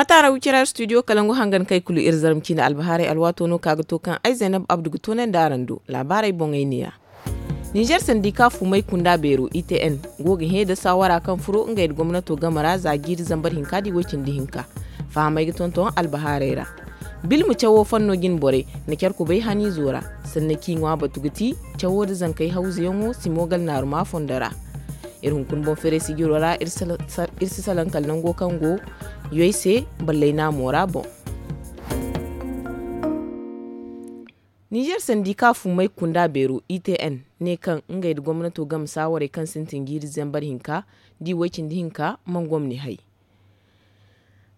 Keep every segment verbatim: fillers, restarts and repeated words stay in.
A taara wicira studio kalangu hangan kay kulu iri zarma ciine albahaarey alwaato no ka ga to kaŋ ay zaynab abdu ga toonandi araŋ do. Laabaarey boŋey neeya. Ninzeer sandika fumay kunda beero i t n go ga hẽ da saawara kaŋ furo ngey nda gomnato game ra za jiiri zambar hinka da i way-cindi hinka. Fahamey ga tonton albahaarey ra. Bilma cawo fanno jine borey na care kubay haniizo ra. Sanna kaŋ i ŋwa batu ga ti cawo nda zankey hawzuyaŋo si moogal naaruma fondo ra. Iri hunkuna boŋ feeray sijiro ra iri si salaŋ kala nango kaŋ go yoy se ballay naamo ra boŋ. Ninzeer sandika fumay kunda beero i t n ne kaŋ ngey nda gomnato game saawarey kaŋ sintin jiiri zambar hinka da i way-cindi hinka man gomni hay.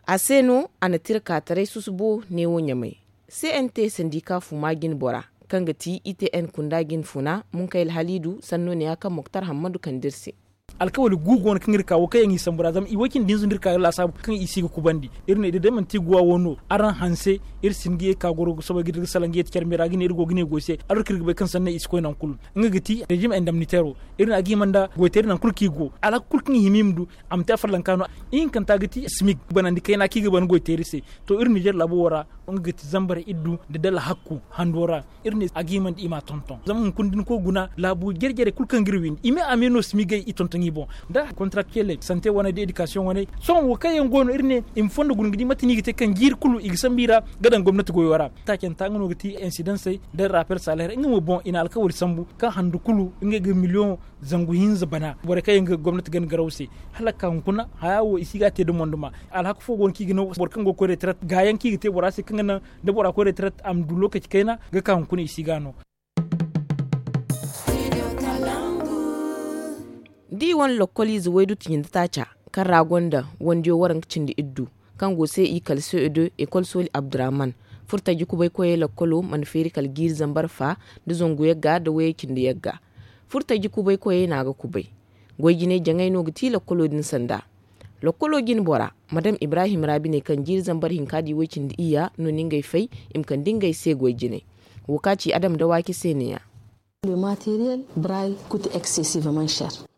A se no a na tira ka taray susubo neewo ɲamay. C n t sandika fuma jine bora kaŋ ga ti i t n kunda jine funa munkayla haliidu sanno neeya kaŋ moktar hammadu kande iri se. Alkawali gu go no kaŋ iri ka wo kaŋ yaŋ i sambu ra zama i way-cindi hinza no iri ka ga laasaabu kaŋ i si ga kubandi. Iri ne da day manti guwa wo no araŋ hanse iri si hin ga ye ga ka goro ga soobay ga iri ga salaŋ ga ye ti care me ra ga ne iri go ga ne goy se. Alor kaŋ iri ga bay kaŋ sanney i si koy nangu kulu. Nga ga ti rejim indemniteero. Iri ne a ga hima nda goyteeri nangu kulu kaŋ i go alhakku kulu kaŋ i hima i ma du. A ma te afarlanka no. Ihinkanta ga ti smig banandi kayna kaŋ i ga ban goyteeri se. To iri ninzeer laabo wo ra nga ga ti zambar iddu nda dala hakku hando ra. Iri ne a ga hima nda i ma a tonton zama hunkuna da ni koy guna laabu jare jare kulu kaŋ ga iri windi i me a me no smigey i tonton i boŋ. Da kontarakteley sante wane da edikasiyoŋ wane. Sohõ wo kaŋ yaŋ go no iri ne i ma fondo guna ga di mate no i ga te kaŋ jiiri kulu i ga sambu i ra ga daŋ gomnati goyo ra. Taacanta nga no ga ti insidansey nda rapel saleer nga mo boŋ i na alkawali sambu kaŋ handu kulu ngey ga miliyoŋ zangu hinza bana borey kaŋ yaŋ ga gomnati gana garaw se. Hala ga ka hunkuna haya wo i si ga a te da monduma. Alhaka fo go no kaŋ i ga naŋ boro kaŋ go ga koy retraite gaayaŋ kaŋ i ga te bora se kaŋ ga naŋ da bora koy retraite a ma du lokaci kayna ga ka hunkuna i si ga a no. Da i wane lokkoliize waydutu cindi taaca kaŋ ra gonda wandiyo waranka cindi iddu kaŋ go se i kala c e deux ekol sooli abdurahman. Furtaji kubay koyey lokkolo mana feeri kala jiiri zambar fa nda zangu yagga nda wayey cindi yagga. Furtaji kubay koyey no a ga kubay. Goy jinay jaŋay no ga ti lokkolo din sanda. Lokkolo jine bora madam ibrahim ra bine kaŋ jiiri zambar hinka da i way-cindi iyya no ni ngey fay i ma kande ngey se goy jinay. Wo ka ci adam dawaaki se neeya.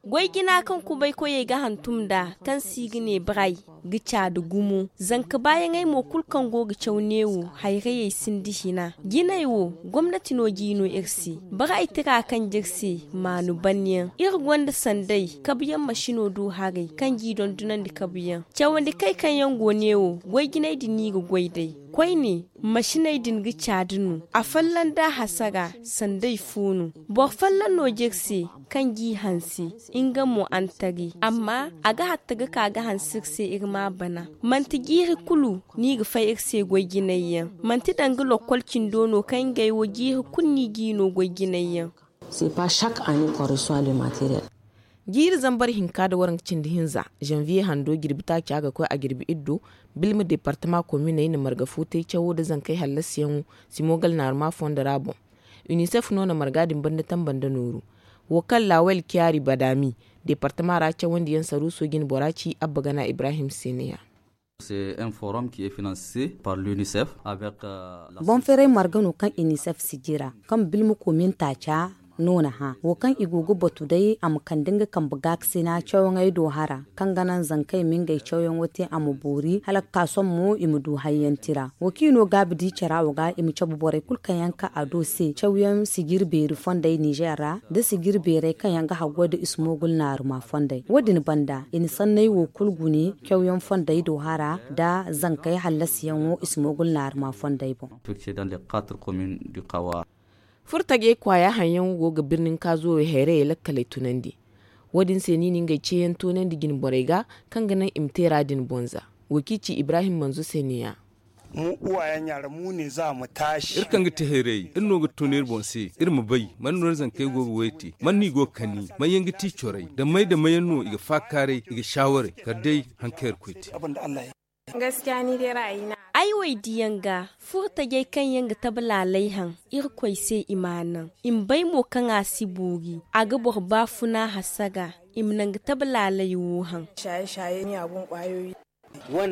Goy jina kaŋ kubay koyey ga hantum nd'a kaŋ se i ga ne bray ga caadi gumo zanka baayaŋey mo kulu kaŋ go ga caw neewo hayrayey sinda hina. Jinay wo gomnati no g'i no iri se. Bray tira kaŋ j'iri se maanu banyaŋ iri gonda sanday kabuyaŋ masino do haray kaŋ g'i dondonandi kabuyaŋ. Cawandi kay kaŋ yaŋ go neewo goy jinay din no i ga goy day. Koyne masiney din ga caadi no. Afolloŋ da a hasara sanday fo no. Boro folloŋ no j'iri se kaŋ g'i hanse nga mo antari amma a ga hatta ga ka ga hanse iri se iri m'a bana. Manti jiiri kulu no i ga fay iri se goy jinay yaŋ. Manti danga lokkol cindo no kaŋ ngey wo jiiri kulu no i g'i no goy jinay yaŋ. Jiiri zambar hinka nda waranka cindi hinza zanviye hando jirbi taaca ga koy a jirbi iddo. Bilma deepartama kominey na marga fo te cawo nda zankey hallasiyaŋo si moogal naaruma fondo ra boŋ. Unicef no na marga din banda tamba nda nooru. Wo kaŋ lawel kiyaari badaami deepartama ra cawandiyaŋ saruuso jine bora ci abba gana ibrahim se neeya. Boŋ feeray marga no kaŋ unicef sijira kaŋ bilma komin taaca no na hã wo kaŋ i go ga batu day a ma kande nga kambe gaakasina cawyaŋey do hara kaŋ ga naŋ zankey ma ngey cawyaŋo te a ma boori hala ga ka sohõ mo i ma du hayyaŋ tira. Wo kaŋ i no gaabi di cara wo ga i ma cabe borey kulu kaŋ yaŋ ka a do se cawyaŋ sijiri beeri fondey ninzeer ra nda sijiri beerey kaŋ yaŋ ga haggoy nda ismoogul naaruma fondey. Wo- din banda i na sanney wo kulu gune cawyaŋ fondey do hara nda zankey hallasiyaŋo ismoogul naaruma fondey boŋ. Furtajey kwaaya haŋyaŋo go ga birnin kaazo wo hayrayey lakkaley tunandi. Wo- din se no i na ngey ceeyaŋ toonandi jine borey ga kaŋ ga naŋ i ma teera din boŋ za. Wo kaŋ i ci ibrahim manzo se neeya. Iri kaŋ ga te hayrayey iri no ga tun iri boŋ se iri ma bay man no iri zankey go ga way te man no i go ga kani man yaŋ ga ti corey da may da mayaŋ no i ga faakaaray i ga saawaray kala day haŋ kaŋ iri koy te. Ay wo ay diyaŋ ga furo tajey kaŋ yaŋ ga tabe laalay haŋ irkoy se i m'a naŋ i ma bay mo kaŋ a si boori a ga boro baafuna hasara i ma naŋ ga tabe laalay wo haŋ.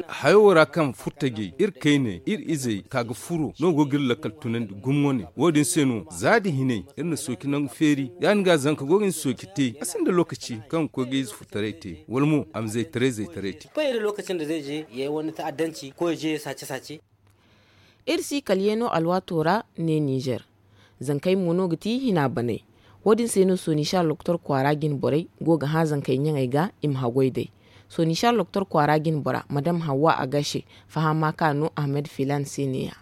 Hayo ra kaŋ furtajey iri kayne iri izey ka ga furo no go ga iri lakkal tunandi gumo ne. Wo- din se no za da hinay iri na sooci nangu feeri ya- din ga zanka go ga ni sooci te a sinda lookaci kaŋ ga koy ga ize furtaray te wala mo a ma zaytaray zaytaray te. Iri si kala yeeno alwaato ra ne ninzeer. Zankey mo no ga ti hina baney. Wo- din se no sooni sara doktor kwaara jine borey go ga hã zankey ɲaŋey ga i ma haggoy day. Sooni sara doktor kwaara jine bora madam hawwa a gase. Fahama ka no ahmed filan se ne- ya.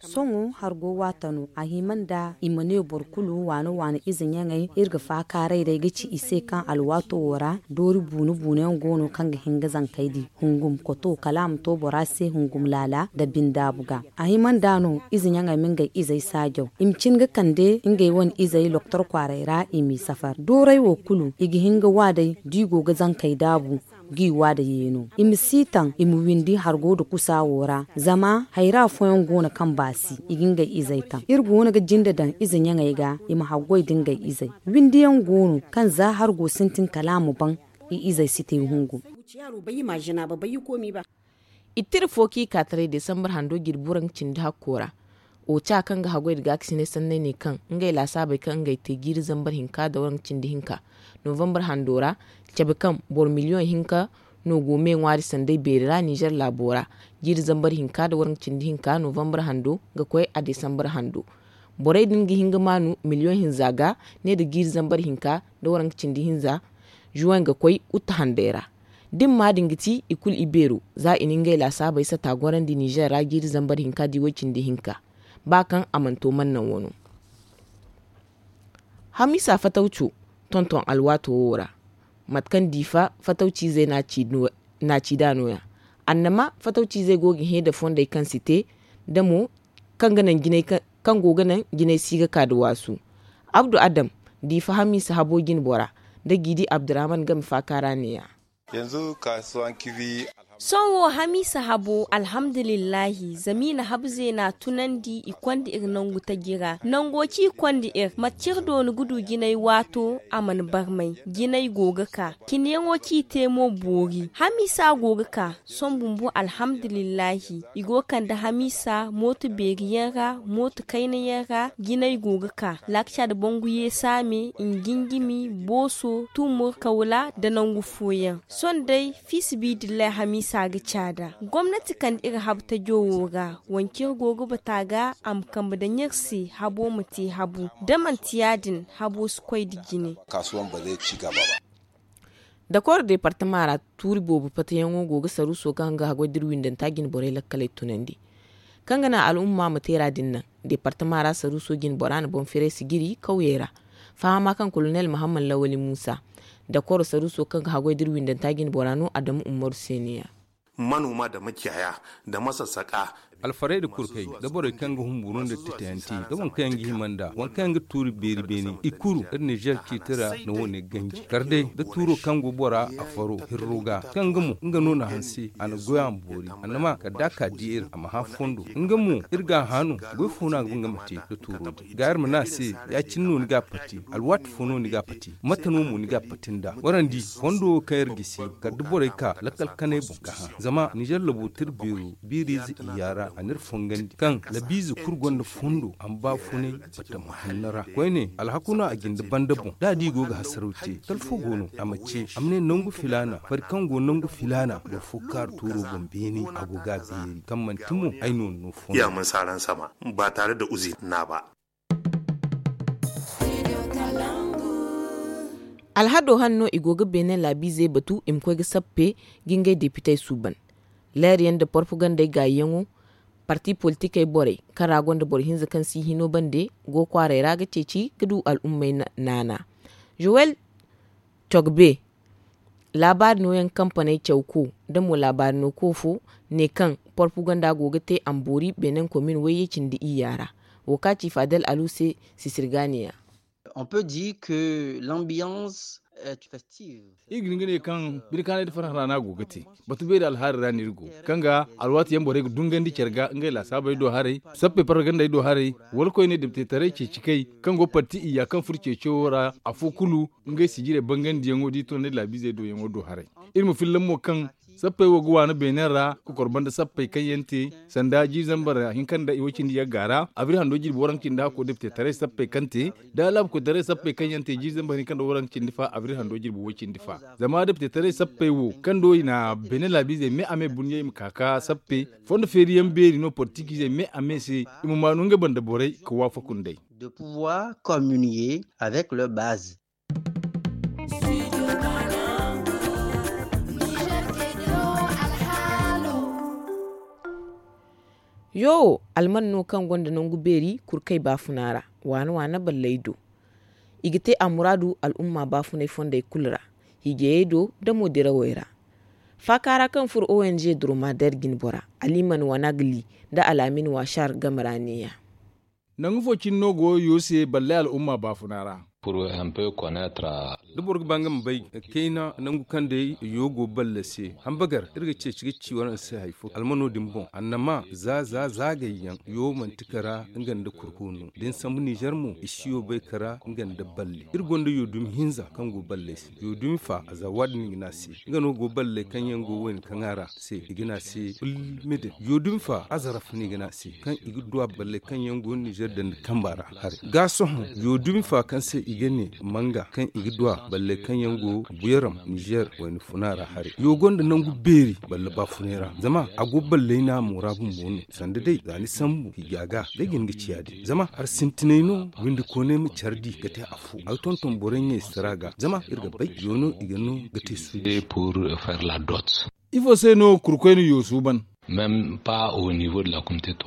Sohõ hargo waata no a hima nda i ma ne boro kulu waane waane ize ɲaŋey iri ga faakaaray day ga ci i se kaŋ alwaato wo ra doori buune buune yaŋ go no kaŋ ga hin ga zankey di hungum koto kala a ma to bora se hungum laala nda bindaabu ga. A hima nda no ize ɲaŋey ma ngey izey saajaw i ma cin ga kande ngey wane izey loktor kwaaray ra i m'i safar dooray wo kulu i ga hin ga wa day da i go ga zankey daabu ga i wa da yeeno i ma si taŋ i ma windi hargo nda kusa wo ra zama hayra fooyaŋ go no kaŋ baasi i ga ngey izey taŋ iri go no ga jinde daŋ ize ɲaŋey ga i ma haggoy nda ngey izey. Windiyaŋ go no kaŋ za hargo sintin kala a ma baŋ i izey si te hungu. I tira fo kaŋ i ka taray desambar hando jirbi waranka cindi hakko ra. Oca kaŋ ga haggoy nda gaakasinay sanney ne kaŋ ngey laasaabey kaŋ ngey te jiiri zambar hinka nda waranka cindi hinka novambar hando ra. Cabe kaŋ boro miliyoŋ hinka no go me ŋwaari sanday beeri ra ninzeer laabo ra. Jiiri zambar hinka nda waranka cindi hinka novambar hando ga koy a desambar hando. Borey din ga hin ga maanu miliyoŋ hinza ga ne nda jiiri zambar hinka nda waranka cindi hinza. Zuwaŋ ga koy utte handay ra. Da ni ma din ga ti i kulu ibeero za i na ngey laasaabey sata gorandi ninzeer ra jiiri zambar hinka da i way cindi hinka. Ba kaŋ a mana to mana naŋ wano. Hamiisa fatawco tonton alwaato wo ra. Mate kaŋ diifa fatawciizey n'a ci nd'a no- ya. Annama fatawciizey go ga hẽ nda fondey kaŋ si te nda mo kaŋ go ga naŋ jinay si ga ka nda waasu. Abdu adam, diifa hamiisa habo jine bora nda jiidi abdurahman game faaka ra ne- ya. Sohõ wo hamiisa habo alhamdulillahi zama i na habu zeena tunandi i konda iri nangu taji ra nango kaŋ i konda iri mate kaŋ iri dooni ga du jinay waato a mana barmay. Jinay go ga ka. Cine yaŋo kaŋ i te mo boori hamiisa go ga ka. Sohõ bumbo alhamdulillahi i go ga kande hamiisa mooto beeri yaŋ ra mooto kayna yaŋ ra jinay go ga ka. Laakca nda bangu yeesaame, njinjimi, booso, tumur kawla nda nangu fooyaŋ. Sohõ day fiisabilillahi hamiisa ga caada. Gomnati kande iri habu tajo wo ra wancey iri go ga bata ga a ma kambe daŋ iri se habo ma te habu. Da manti ya- din habo si koy nda jine. Dakoro deepartama ra tuuri boobo patayaŋo go ga saruuso kaŋ ga haggoy da iri windanta jine borey lakkaley tunandi. Kaŋ ga naŋ al'umma ma teera din naŋ deepartama ra saruuso jine bora na boŋ firay sijiri kawyey ra. Fahama kaŋ kolonel mahammad lawali muusa dakoro saruuso kaŋ ga haggoy da iri windanta jine bora no adamu ummaru se ne- ya. Manoma da maciyaya da masassaka. Alfarey da kurkey da borey kaŋ ga humburu nda titayanti da waŋ kaŋ yaŋ ga hima nda waŋ kaŋ yaŋ ga tuuri beeri beene i kuru iri nizer ciiti ra na wo- ne ganji kar day da tuuro kaŋ go bora a faro hirro ga kaŋ ga mo nga no na hanse a na goy a ma boori annama kala da a ka di iri a ma hã fondo. Nga mo iri ga a hã no goy fo no a ga nga ma te da tuuro din ga iri ma ne a se ya- cine no ni ga a pati alwaati fo no ni ga a pati mate no mo ni ga a pati nda warandi fondo wo kaŋ iri gisi kala da borey ka lakkal kanay boŋ ga hã zama nizer labo tira beero biiriize iyya ra a n'iri fongandi kaŋ labiize kulu gonda fondo a ma baafunay batama hanno ra koyne alhaku no a jinde banda boŋ da a di i go ga hasaraw te kala fo go no a ma ce a ma ne nangu filaana fari kaŋ go nangu filaana boro fo kaaru tuuro boŋ beene a go ga a beeri kaŋ manti mo ay no no fondo. Ya mun saran sama ba tare da uzi na ba. Alhado hanno i go ga beene laabiizey batu i ma koy ga sappe ga ngey depitey suuban. Leeryaŋ nda porpagandey gaayiyaŋo parti politikey borey kaŋ ra gonda boro hinza kaŋ si hino bande go kwaaray ra ga ceeci ga du al'ummey naana. Joel cogbe laabaari nooyaŋ kampaney cawko nda mo laabaari nooko fo ne kaŋ porpaganda go ga te a ma boori beenen komin wayye cindi iyya ra. Wo kaŋ a ci fadel alu se sisirganiya. On peut dire que l'ambiance iri ga hin ga ne kaŋ bine kaanay da farhã ra no a go ga te. Batu beeri alhaari ra no iri go, kaŋ ga alwaati yaŋ borey ga dungandi care ga ngey laasaabey do haray, sappey paragandey do haray, wala koyne deptetaray ceeci kay, kaŋ go parti iyya kaŋ furo ceeciyo ra, afo kulu ngey sijirey bangandiyaŋo da i tunandi laabiizey doyaŋo do haray. Iri ma fillaŋ mo kaŋ sappey wo ga waana beene ra ka kor banda sappey kaŋ yaŋ te, sanda jiiri zambar hinka nda i wo cindi yagga ra abril hando jirbi waranka cindi hakko deptetaray sappey kaŋ te, da laabu koytaray sappey kaŋ yaŋ te jiiri zambar hinka nda waranka cindi fa abril hando jirbi wo cindi fa. Zama deptetaray sappey wo kaŋ do i na beene laabiizey me a me bunyey ma ka ka sappe, fondo feeriyaŋ beeri no politikiizey me a me se, i ma maanu ngey banda borey ka waafaku nd'ey. De pouvoir communier avec leur base. Yo wo alman no kaŋ gonda nangu beeri kurkay baafuna ra, waana waana balley do. I ga te a muraadu al'umma baafunay fondey kulu ra, hiijayey do nda mo dirawey ra. Faaka ra kaŋ furo ong dromader jinbora, aliman wanagli nda alaamin washar game ra neeya. Nangu fo cine no go yo se balley al'umma baafuna ra. Da boro ga ba nga ma bay kayna nangu kaŋ day yo go balle se, hambagar iri ga ceeci ga ci waraŋ se hari fo almano din boŋ annama za za zaagay yaŋ yo manti kara nga nda kurko no da ni sambu nizer mo i si yo bay kara nga nda balle. Iri gonda yo dumi hinza kaŋ go balley se, yo dumi fa a za waadin i ga ne a se. Nga no go balley kaŋ yaŋ go wayna kaŋ a ra se i ga ne a se, ulmidin yo dumi fa a zaraf no i ga ne a se, kaŋ i ga duwa balley kaŋ yaŋ go nizer dandi kamba ra. Haray ga sohõ yo dumi fa kaŋ se i ga ne manga kaŋ i ga duwa balley kaŋ yaŋ go buyaram nizer wayna funa ra haray yo gonda nangu beeri balle baafunay ra zama a go balley no a moora bumbo no. Sanda day za ni sambu hiija ga day ga hin ga ci ya- din zama hari sintinay no windi koonay ma care di ga te afo a ga tonton borey ɲey sara ga zama iri ga bay yo no i ga no ga te suuji. Ifo se no kurkoy na yo suuban?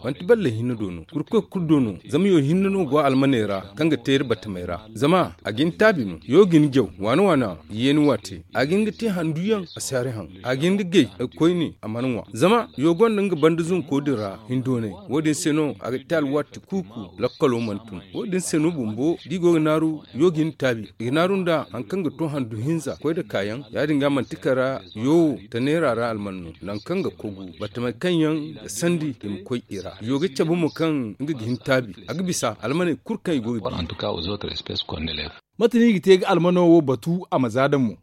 Manti balle hinne do no kurkoy kulu do no zama yo hinne no go almaney ra kaŋ ga te iri batamey ra. Zama a ga hin taabi no yo ga hin jaw waana waana yeeni waate a ga hin ga te handu yaŋ a si hari haŋ. A ga hin ga gay a ga koyne a mana ŋwa zama yo gonda nga banda zunko din ra hindoonay. Wo- din se no a ga te alwaati kuuku lakkalo mana tun. Wo- din se no bumbo da i go ga naaru yo ga hin taabi i ga naaru nda hari kaŋ ga to handu hinza koy nda kaayaŋ ya- din ga manti kara yo wo ta neera ra alman no nangu kaŋ ga kogu batamey kaŋ yaŋ ga sandi i ma koy i ra yo ga cabe mo kaŋ nga ga hin taabi a ga bisa almaney kulu kaŋ i go ga bi. Mate no i ga te ga almano wo batu a ma za da mo?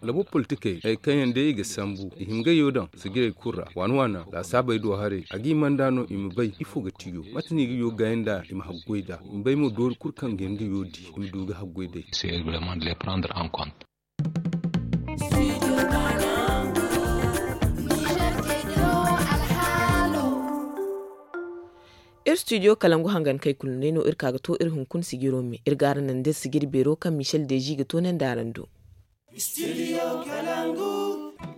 Labo politikey hari kaŋ yaŋ day i ga sambu i hima ga yo daŋ sijirey kulu ra waana waana laasaabey do haray a ga i manda no i ma bay ifo ga ti yo mate no i ga yo gaayi nd'a i ma haggoy nd'a i ma bay mo doori kulu kaŋ ga hin ga yo di i ma du ga haggoy day. Iri studio kalangu hangankey kulu no day no iri ka ga to iri hunkuna sijiro me iri ga araŋ naŋ da iri sijiri beero kaŋ michel deezi ga to naŋ da araŋ do.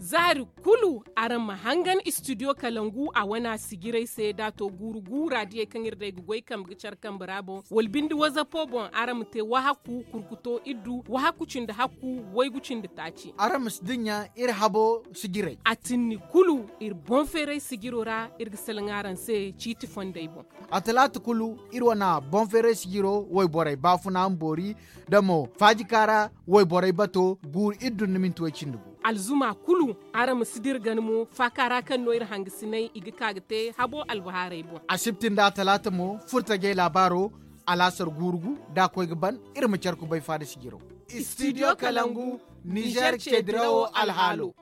Zaari kulu araŋ ma hangan studio kalangu a wane a sijirey se da a to guuru guura diyey kaŋ iri day ga goy kambe ga care kambe ra boŋ wala binde wazapo boŋ araŋ ma te wahaku kurkuto iddu wahaku cindi hakku waygu cindi taaci. Araŋ ma si dinya iri habo sijirey a tinni kulu iri boŋ feeray sijiro ra iri ga salaŋ araŋ se ciiti fondey boŋ. A talaata kulu iri wane boŋ feeray sijiro wayborey baafuna ma boori nda mo faajika ra wayborey bato guuru iddu nda minti way cindi gu. Alzuma kulu araŋ ma si dira gana mo faaka ra kaŋ no iri hangasiney i ga ka ga te habo albahaarey boŋ. Asibti nda a talaata mo furtajey laabaaro alaasar guuru gu da a koy ga ban iri ma care kubay faada sijiro. Studio kalangu nizer ce dirawo alhaalo.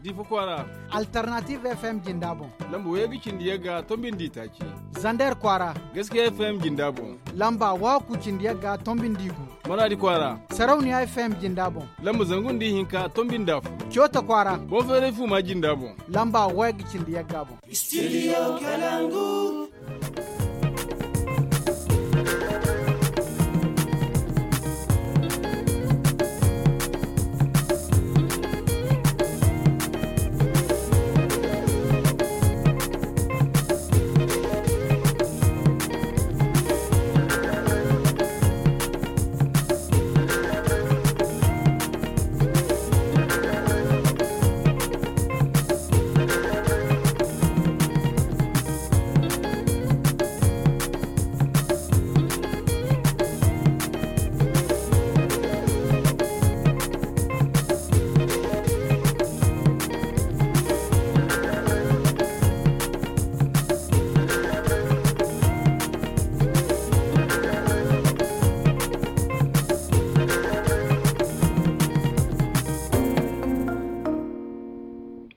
Difa kwaara. Alternative fm jinda boŋ. Lamba wayga cindi yagga tombindi taaci. Zander kwaara. Gaskiya fm jinda boŋ. Lamba waku cindi yagga tombindi gu. Maradi kwaara. Sarauniya fm jinda boŋ. Lamba zangu nda ihinka tombinda fu. Cota kwaara. Boŋ feeray fu ma jinda boŋ. Lamba wayga cindi yagga boŋ. Studio kalangu.